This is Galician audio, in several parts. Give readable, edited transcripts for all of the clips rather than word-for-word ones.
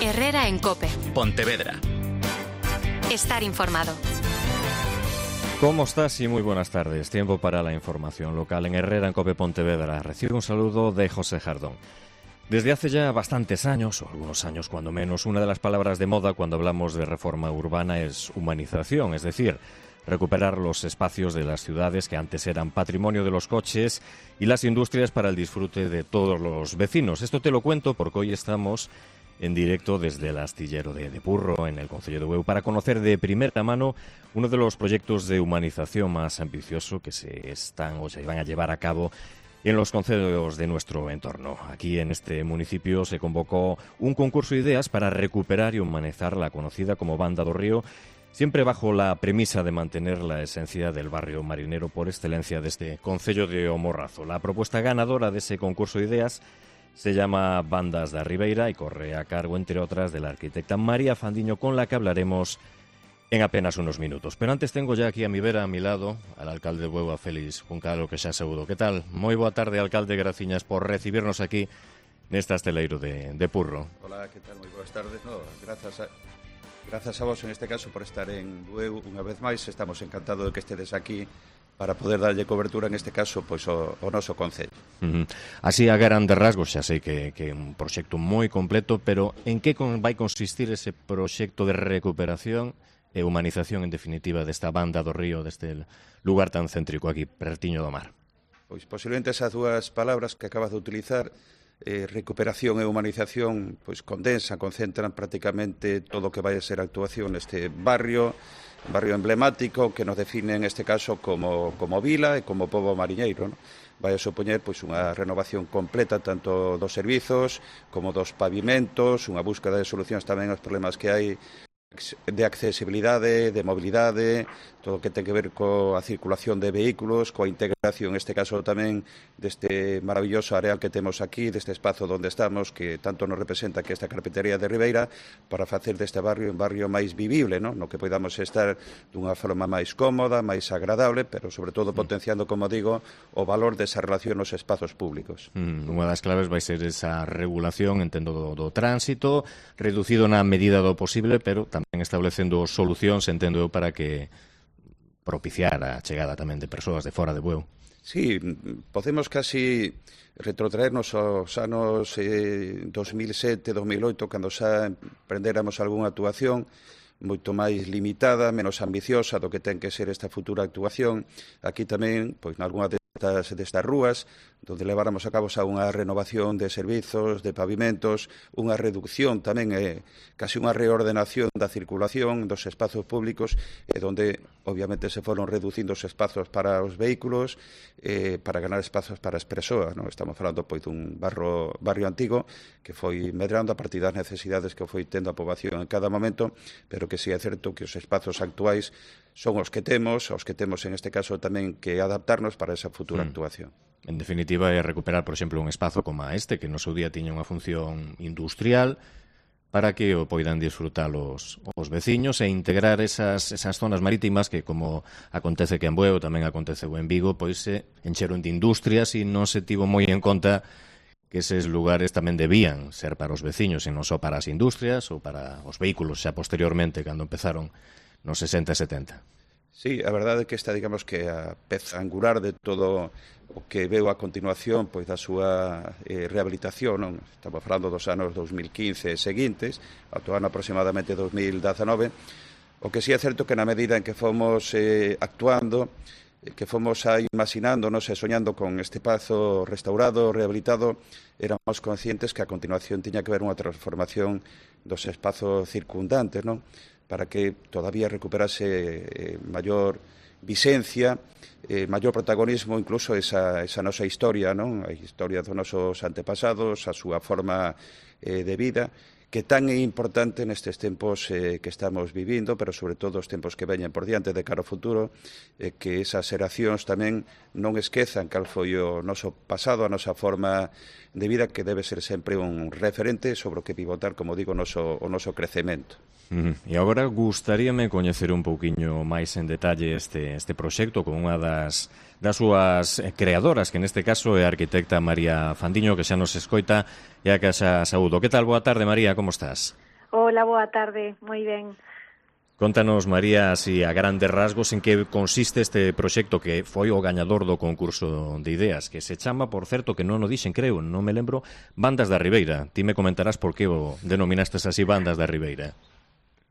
Herrera en COPE. Pontevedra. Estar informado. ¿Cómo estás? Y muy buenas tardes. Tiempo para la información local en Herrera en COPE Pontevedra. Recibe un saludo de José Jardón. Desde hace ya bastantes años, o algunos años cuando menos, una de las palabras de moda cuando hablamos de reforma urbana es humanización, es decir, recuperar los espacios de las ciudades que antes eran patrimonio de los coches y las industrias para el disfrute de todos los vecinos. Esto te lo cuento porque hoy estamos en directo desde el astillero de Purro, en el concello de Bueu, para conocer de primera mano uno de los proyectos de humanización más ambicioso que se van a llevar a cabo en los concejos de nuestro entorno. Aquí en este municipio se convocó un concurso de ideas para recuperar y humanizar la conocida como Banda do Río, siempre bajo la premisa de mantener la esencia del barrio marinero por excelencia de este concello de O Morrazo. La propuesta ganadora de ese concurso de ideas se llama Bandas da Ribeira y corre a cargo, entre otras, de la arquitecta María Fandiño, con la que hablaremos en apenas unos minutos. Pero antes tengo ya aquí a mi vera, a mi lado, al alcalde de Bueu, a Félix Juncalo, que xa saúdo. Que tal? Moi boa tarde, alcalde, graciñas por recibirnos aquí neste asteleiro de Purro. Hola, que tal? Moi boas tardes. No, grazas a vos en este caso por estar en Bueu unha vez máis. Estamos encantados de que estedes aquí para poder darlle cobertura, en este caso, pois o noso concello. Así, a grandes rasgos, xa sei que é un proxecto moi completo, pero en que vai consistir ese proxecto de recuperación e humanización, en definitiva, desta Banda do Río, deste lugar tan céntrico aquí, pertiño do mar? Pois posiblemente esas dúas palabras que acabas de utilizar, recuperación e humanización, pois concentran prácticamente todo o que vai a ser a actuación neste barrio emblemático que nos define en este caso como vila e como pobo mariñeiro, non? Vai a supoñer pois unha renovación completa tanto dos servizos como dos pavimentos, unha búsqueda de solucións tamén aos problemas que hai de accesibilidade, de mobilidade, todo o que ten que ver coa circulación de vehículos, coa integración, en este caso tamén, deste maravilloso areal que temos aquí, deste espazo onde estamos, que tanto nos representa que esta carpintería de Ribeira, para facer deste barrio un barrio máis vivible, no que podamos estar dunha forma máis cómoda, máis agradable, pero sobre todo potenciando, como digo, o valor desa relación nos espazos públicos. Unha das claves vai ser esa regulación, entendo, do tránsito, reducido na medida do posible, pero tamén establecendo solucións, entendo eu, para que propiciar a chegada tamén de persoas de fora de Bueu. Sí, podemos casi retrotraernos aos anos 2007, 2008, cando xa emprendéramos algunha actuación moito máis limitada, menos ambiciosa do que ten que ser esta futura actuación. Aquí tamén, pois, nalgúna destas rúas, onde leváramos a cabo xa unha renovación de servizos, de pavimentos, unha reducción tamén, casi unha reordenación da circulación dos espazos públicos, onde obviamente se foron reducindo os espazos para os vehículos, para ganar espazos para as persoas, non? Estamos falando pois dun barrio antigo que foi medrando a partir das necesidades que foi tendo a poboación en cada momento, pero que si é certo que os espazos actuais son os que temos en este caso tamén que adaptarnos para esa futura actuación. En definitiva, é recuperar, por exemplo, un espazo como este, que no seu día tiña unha función industrial, para que o poidan disfrutar os veciños e integrar esas zonas marítimas que, como acontece que en Bueu, tamén aconteceu en Vigo, pois se encheron de industrias e non se tivo moi en conta que eses lugares tamén debían ser para os veciños e non só para as industrias ou para os vehículos xa posteriormente, cando empezaron nos 60 e 70. Sí, a verdade é que esta, digamos, que a peza angular de todo o que veo a continuación pois da súa rehabilitación, non? Estamos falando dos anos 2015 e seguintes, ata o ano aproximadamente 2019. O que sí é certo que na medida en que fomos actuando, que fomos imaginándonos e soñando con este espazo restaurado, rehabilitado, éramos conscientes que a continuación tiña que haber unha transformación dos espazos circundantes, non? Para que todavía recuperase maior vixencia, maior protagonismo, incluso esa nosa historia, non? A historia dos nosos antepasados, a súa forma de vida, que tan é importante nestes tempos que estamos vivindo, pero sobre todo os tempos que veñen por diante de cara ao futuro, que esas xeracións tamén non esquezan cal foi o noso pasado, a nosa forma de vida, que debe ser sempre un referente sobre o que pivotar, como digo, o noso crecemento. E agora gustaríame coñecer un pouquiño máis en detalle este proxecto con unha das súas creadoras, que neste caso é a arquitecta María Fandiño, que xa nos escoita e a que xa saúdo. Que tal? Boa tarde, María, como estás? Hola, boa tarde, moi ben. Contanos, María, así a grandes rasgos en que consiste este proxecto que foi o gañador do concurso de ideas, que se chama, por certo, que non o dixen, creo, non me lembro, Bandas da Ribeira. Ti me comentarás por que o denominastes así Bandas da Ribeira.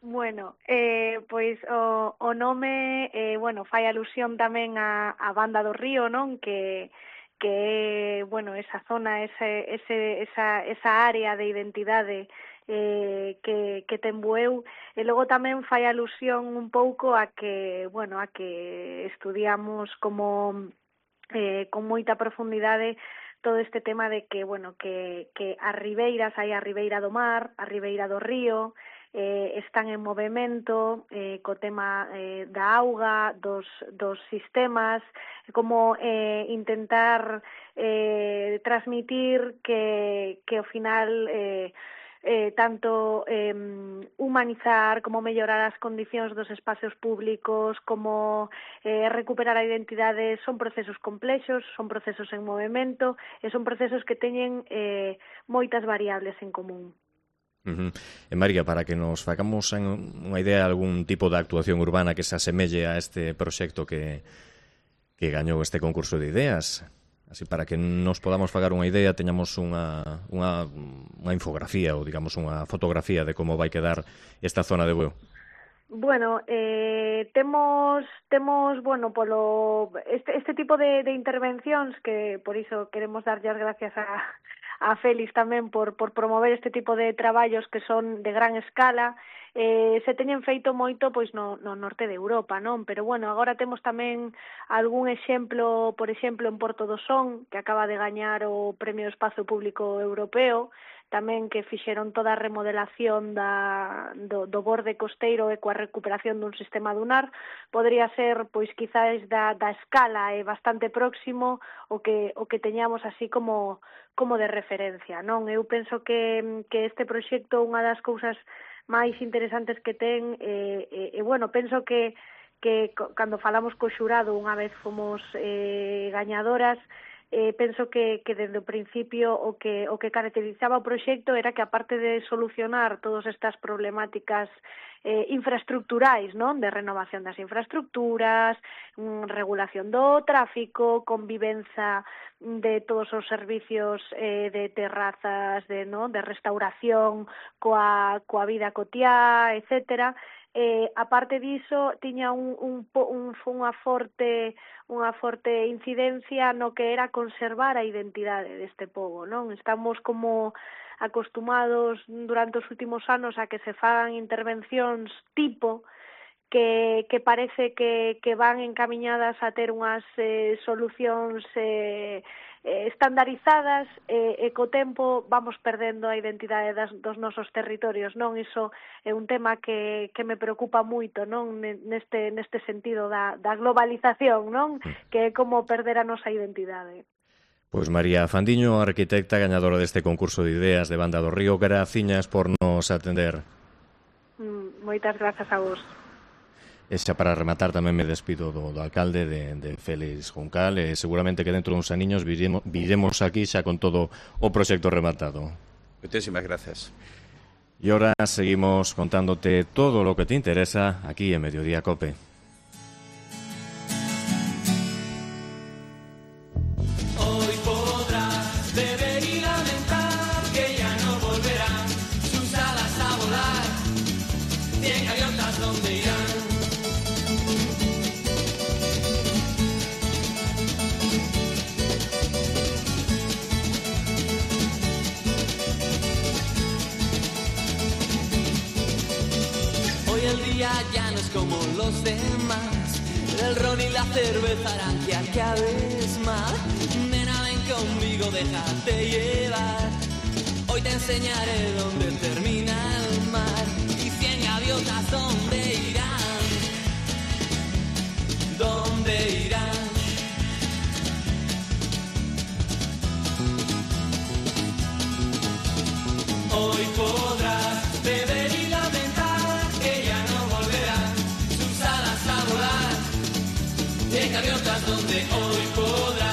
Bueno, pois o nome, fai alusión tamén a Banda do Río, non? Que bueno, esa zona, esa área de identidade que ten Bueu, e logo tamén fai alusión un pouco a que estudiamos como con moita profundidade todo este tema de que as ribeiras, hai a ribeira do mar, a ribeira do río, están en movimento co tema da auga, dos sistemas, como intentar transmitir que ao final tanto humanizar como mellorar as condicións dos espacios públicos, como recuperar a identidade, son procesos complexos, son procesos en movimento e son procesos que teñen moitas variables en común. E María, para que nos facamos unha idea de algún tipo de actuación urbana que se asemelle a este proxecto que gañou este concurso de ideas, así para que nos podamos fagar unha idea, teñamos unha infografía ou, digamos, unha fotografía de como vai quedar esta zona de Bueu. Bueno, temos este tipo de intervencións que por iso queremos darlle as gracias a Félix tamén por promover este tipo de traballos que son de gran escala. Se teñen feito moito pois no norte de Europa, non? Pero bueno, agora temos tamén algún exemplo, por exemplo, en Porto do Son, que acaba de gañar o Premio de Espazo Público Europeo, tamén que fixeron toda a remodelación do borde costeiro e coa recuperación dun sistema dunar. Podría ser, pois, quizás da escala bastante próximo o que teñamos así como de referencia, non? Eu penso que este proxecto, unha das cousas máis interesantes que ten, penso que cando falamos co xurado, unha vez fomos gañadoras, penso que desde o principio o que caracterizaba o proxecto era que, aparte de solucionar todas estas problemáticas infraestructurais, non? De renovación das infraestructuras, regulación do tráfico, convivenza de todos os servicios de terrazas, de restauración coa vida cotiá, etcétera. Aparte diso, tiña unha forte incidencia no que era conservar a identidade deste pobo, non? Estamos como acostumados durante os últimos anos a que se fagan intervencións tipo que parece que van encamiñadas a ter unhas solucións estandarizadas e co tempo vamos perdendo a identidade dos nosos territorios, non? Iso é un tema que me preocupa moito, non? Neste sentido da globalización, non? Que é como perder a nosa identidade. Pois María Fandiño, arquitecta gañadora deste concurso de ideas de Banda do Río, graciñas por nos atender. Moitas grazas a vos. E xa para rematar tamén me despido do alcalde de Félix Juncal, e seguramente que dentro duns aniños viremos aquí xa con todo o proxecto rematado. Muchísimas gracias. E ahora seguimos contándote todo lo que te interesa aquí en Mediodía Cope. Ya no es como los demás, el ron y la cerveza harán que acabes mal. Nena, ven conmigo, déjate llevar. Hoy te enseñaré dónde termina el mar y 100 gaviotas dónde irán. ¿Dónde irán? Hoy podrás beber y lamentar que ya no volverán sus alas a volar. 100 gaviotas donde hoy podrás.